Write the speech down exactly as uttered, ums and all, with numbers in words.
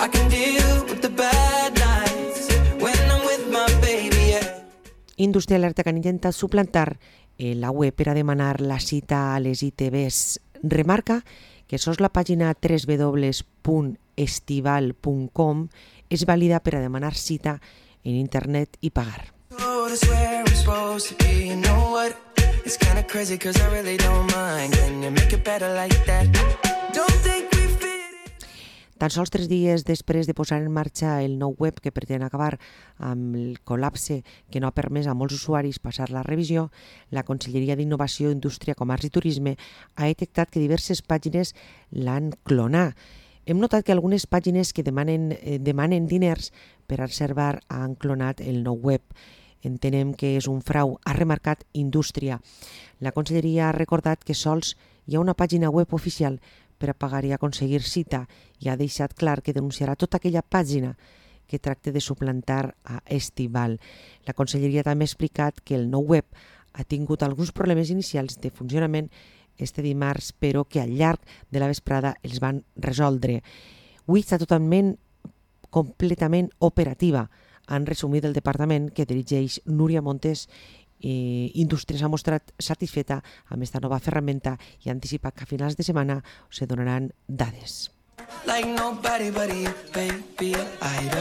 I can deal with the bad nights when I'm with my baby, yeah. Indústria alerta que han intentat suplantar eh, la web per a demanar la cita a les I T Bs. Remarca que sols la pàgina w w w punt estival punt com és vàlida per a demanar cita en internet i pagar. Oh, that's where I'm supposed to be. You know what? It's kind of crazy cause I really don't mind. Can you make it better like that? Don't think we fit it. Tan sols tres dies després de posar en marxa el nou web que pretén acabar amb el col·lapse que no ha permès a molts usuaris passar la revisió, la Conselleria d'Innovació, Indústria, Comerç i Turisme ha detectat que diverses pàgines l'han clonat. Hem notat que algunes pàgines que demanen, eh, demanen diners per a reservar han clonat el nou web. Entenem que és un frau, ha remarcat Indústria. La Conselleria ha recordat que sols hi ha una pàgina web oficial per a pagar i aconseguir cita i ha deixat clar que denunciarà tota aquella pàgina que tracte de suplantar a Estival. La Conselleria també ha explicat que el nou web ha tingut alguns problemes inicials de funcionament este dimarts, però que al llarg de la vesprada els van resoldre. Avui està totalment, completament operativa, han resumit el departament que dirigeix Núria Montes. Eh, Indústria s'ha mostrat satisfeta amb aquesta nova ferramenta i ha anticipat que a finals de setmana se donaran dades. Like nobody but you, baby. I don't